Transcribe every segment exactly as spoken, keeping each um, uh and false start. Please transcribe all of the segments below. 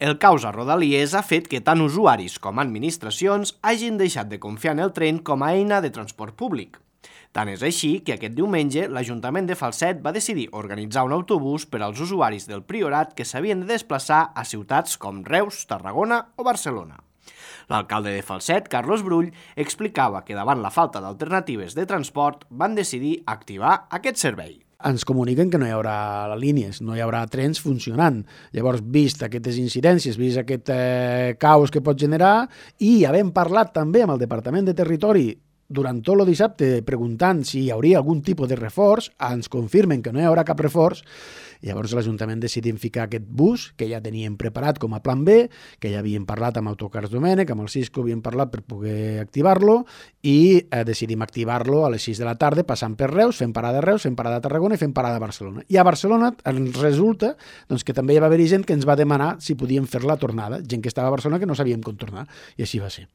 El caos a Rodalies ha fet que tant usuaris com administracions hagin deixat de confiar en el tren com a eina de transport públic. Tant és així que aquest diumenge l'Ajuntament de Falset va decidir organitzar un autobús per als usuaris del Priorat que s'havien de desplaçar a ciutats com Reus, Tarragona o Barcelona. L'alcalde de Falset, Carlos Brull, explicava que davant la falta d'alternatives de transport van decidir activar aquest servei. Ens comuniquen que no hi haurà línies, no hi haurà trens funcionant. Llavors, vist aquestes incidències, vist aquest eh, caos que pot generar, i havent parlat també amb el Departament de Territori durant tot el dissabte preguntant si hi hauria algun tipus de reforç, ens confirmen que no hi haurà cap reforç. Llavors l'Ajuntament decidim ficar aquest bus, que ja teníem preparat com a plan B, que ja havíem parlat amb Autocars Domènec, amb el Cisco havíem parlat per poder activar-lo, i eh, decidim activar-lo a les sis de la tarda, passant per Reus, fent parada a Reus, fent parada a Tarragona i fent parada a Barcelona. I a Barcelona ens resulta doncs, que també hi va haver gent que ens va demanar si podíem fer la tornada, gent que estava a Barcelona que no sabíem com tornar, i així va ser.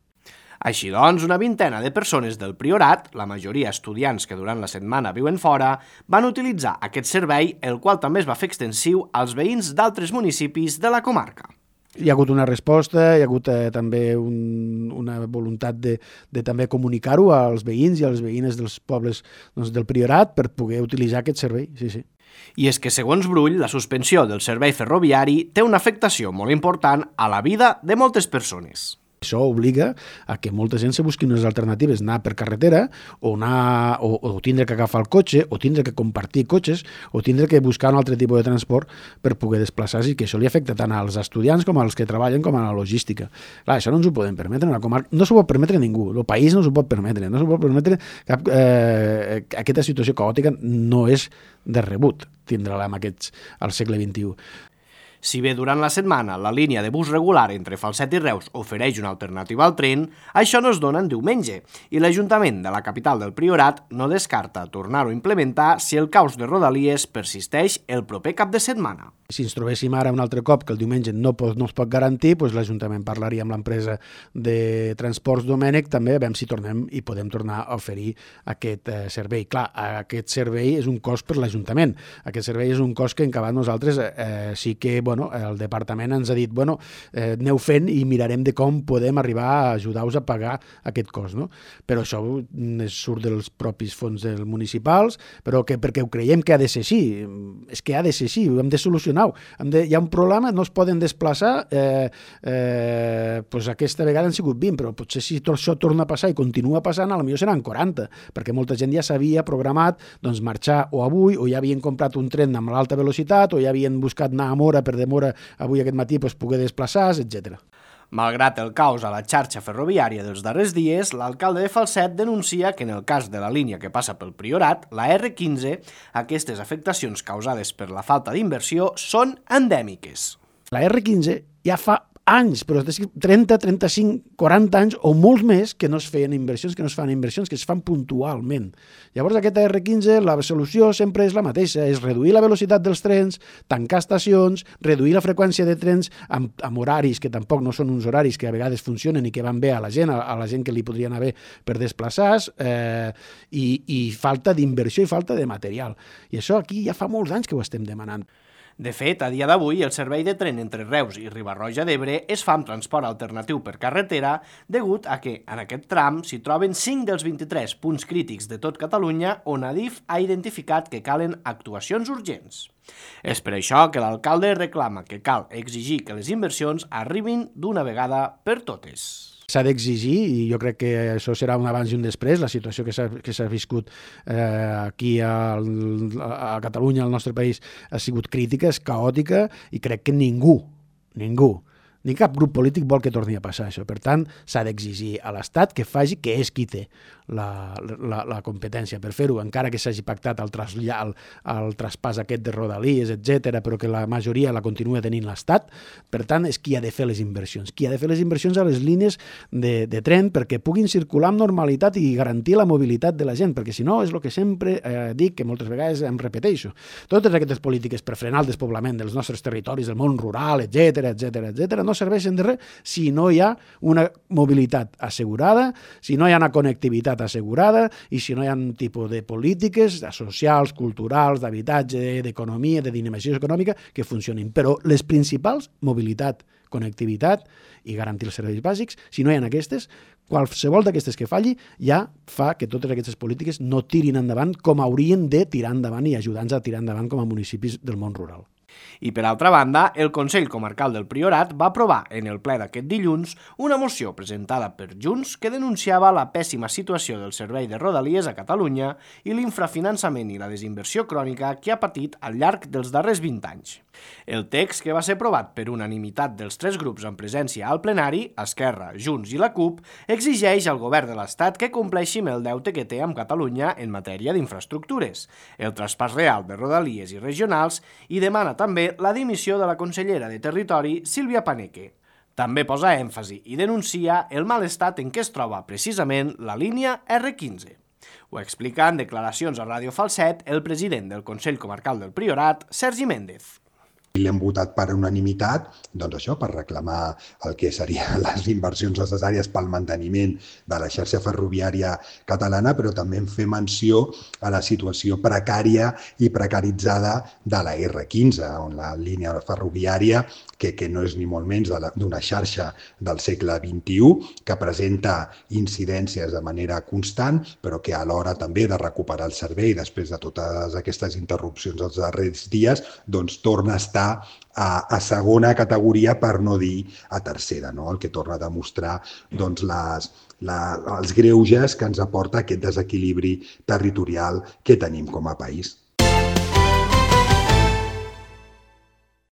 Així doncs, una vintena de persones del Priorat, la majoria estudiants que durant la setmana viuen fora, van utilitzar aquest servei, el qual també es va fer extensiu als veïns d'altres municipis de la comarca. Hi ha hagut una resposta, hi ha hagut eh, també un, una voluntat de, de també comunicar-ho als veïns i a les veïnes dels pobles doncs, del Priorat per poder utilitzar aquest servei, sí, sí. I és que, segons Brull, la suspensió del servei ferroviari té una afectació molt important a la vida de moltes persones. Això obliga a que molta gent se busqui unes alternatives, anar per carretera o, anar, o, o tindre que agafar el cotxe o tindre que compartir cotxes o tindre que buscar un altre tipus de transport per poder desplaçar-se, i que això li afecta tant als estudiants com als que treballen com a la logística. Clar, això no ens ho podem permetre, una comarca, no s'ho pot permetre ningú, el país no s'ho pot permetre, no s'ho pot permetre cap... Eh, aquesta situació caòtica no és de rebut tindre-la en aquests, al segle vint-i-u. Si bé durant la setmana la línia de bus regular entre Falset i Reus ofereix una alternativa al tren, això no es dona en diumenge, i l'Ajuntament de la capital del Priorat no descarta tornar-ho a implementar si el caos de Rodalies persisteix el proper cap de setmana. Si ens trobéssim ara un altre cop que el diumenge no, pot, no es pot garantir, doncs l'Ajuntament parlaria amb l'empresa de Transports Domènec també a veure si tornem i podem tornar a oferir aquest eh, servei. Clar, aquest servei és un cost per l'Ajuntament. Aquest servei és un cost que en acabat nosaltres eh, sí que bueno, el departament ens ha dit bueno, eh, aneu fent i mirarem de com podem arribar a ajudar-vos a pagar aquest cost. No? Però això surt dels propis fons dels municipals, però que, perquè ho creiem que ha de ser així. És que ha de ser així, ho hem de solucionar. Hem de, hi ha un problema, no es poden desplaçar, eh, eh, doncs aquesta vegada han sigut vint, però potser si tot això torna a passar i continua passant, potser seran quaranta, perquè molta gent ja s'havia programat doncs, marxar o avui, o ja havien comprat un tren amb l'alta velocitat, o ja havien buscat anar a Mora per demora avui aquest matí doncs, poder desplaçar-se, etcètera. Malgrat el caos a la xarxa ferroviària dels darrers dies, l'alcalde de Falset denuncia que en el cas de la línia que passa pel Priorat, la erre quinze, aquestes afectacions causades per la falta d'inversió són endèmiques. La erre quinze ja fa anys, però trenta, trenta-cinc, quaranta anys o molts més que no es feien inversions, que no es fan inversions, que es fan puntualment. Llavors aquesta erre quinze, la solució sempre és la mateixa, és reduir la velocitat dels trens, tancar estacions, reduir la freqüència de trens amb, amb horaris que tampoc no són uns horaris que a vegades funcionen i que van bé a la gent, a, a la gent que li podrien anar bé per desplaçar-se, eh, i, i falta d'inversió i falta de material. I això aquí ja fa molts anys que ho estem demanant. De fet, a dia d'avui, el servei de tren entre Reus i Riba-roja d'Ebre es fa amb transport alternatiu per carretera degut a que, en aquest tram, s'hi troben cinc dels vint-i-tres punts crítics de tot Catalunya on Adif ha identificat que calen actuacions urgents. És per això que l'alcalde reclama que cal exigir que les inversions arribin d'una vegada per totes. S'ha d'exigir, i jo crec que això serà un abans i un després, la situació que s'ha que s'ha viscut eh, aquí a, a Catalunya, al nostre país, ha sigut crítica, és caòtica, i crec que ningú, ningú, ni cap grup polític vol que torni a passar això. Per tant, s'ha d'exigir a l'Estat que faci, que és qui té la, la, la competència per fer-ho, encara que s'hagi pactat el, traslla, el, el traspàs aquest de Rodalies, etcètera, però que la majoria la continua tenint l'Estat. Per tant, és qui ha de fer les inversions. Qui ha de fer les inversions a les línies de, de tren perquè puguin circular amb normalitat i garantir la mobilitat de la gent, perquè si no és el que sempre eh, dic, que moltes vegades em repeteixo. Totes aquestes polítiques per frenar el despoblament dels nostres territoris, del món rural, etcètera, etcètera, etcètera, no serveixen de res si no hi ha una mobilitat assegurada, si no hi ha una connectivitat assegurada i si no hi ha un tipus de polítiques socials, culturals, d'habitatge, d'economia, de dinamització econòmica que funcionin. Però les principals, mobilitat, connectivitat i garantir els serveis bàsics, si no hi ha aquestes, qualsevol d'aquestes que falli ja fa que totes aquestes polítiques no tirin endavant com haurien de tirar endavant i ajudar-nos a tirar endavant com a municipis del món rural. I per altra banda, el Consell Comarcal del Priorat va aprovar en el ple d'aquest dilluns una moció presentada per Junts que denunciava la pèssima situació del servei de Rodalies a Catalunya i l'infrafinançament i la desinversió crònica que ha patit al llarg dels darrers vint anys. El text, que va ser aprovat per unanimitat dels tres grups en presència al plenari, Esquerra, Junts i la CUP, exigeix al govern de l'Estat que compleixi amb el deute que té amb Catalunya en matèria d'infraestructures, el traspàs real de Rodalies i regionals i demana també la dimissió de la consellera de Territori, Sílvia Paneque. També posa èmfasi i denuncia el mal estat en què es troba precisament la línia erre quinze. Ho explica en declaracions a Ràdio Falset el president del Consell Comarcal del Priorat, Sergi Méndez. L'hem votat per unanimitat, doncs això, per reclamar el que serien les inversions necessàries pel manteniment de la xarxa ferroviària catalana, però també en fer menció a la situació precària i precaritzada de la erre quinze, on la línia ferroviària, que, que no és ni molt menys d'una xarxa del segle vint-i-u, que presenta incidències de manera constant, però que alhora també de recuperar el servei després de totes aquestes interrupcions dels darrers dies, doncs torna a estar A, a segona categoria, per no dir a tercera, no? El que torna a demostrar doncs, les, la, els greuges que ens aporta aquest desequilibri territorial que tenim com a país.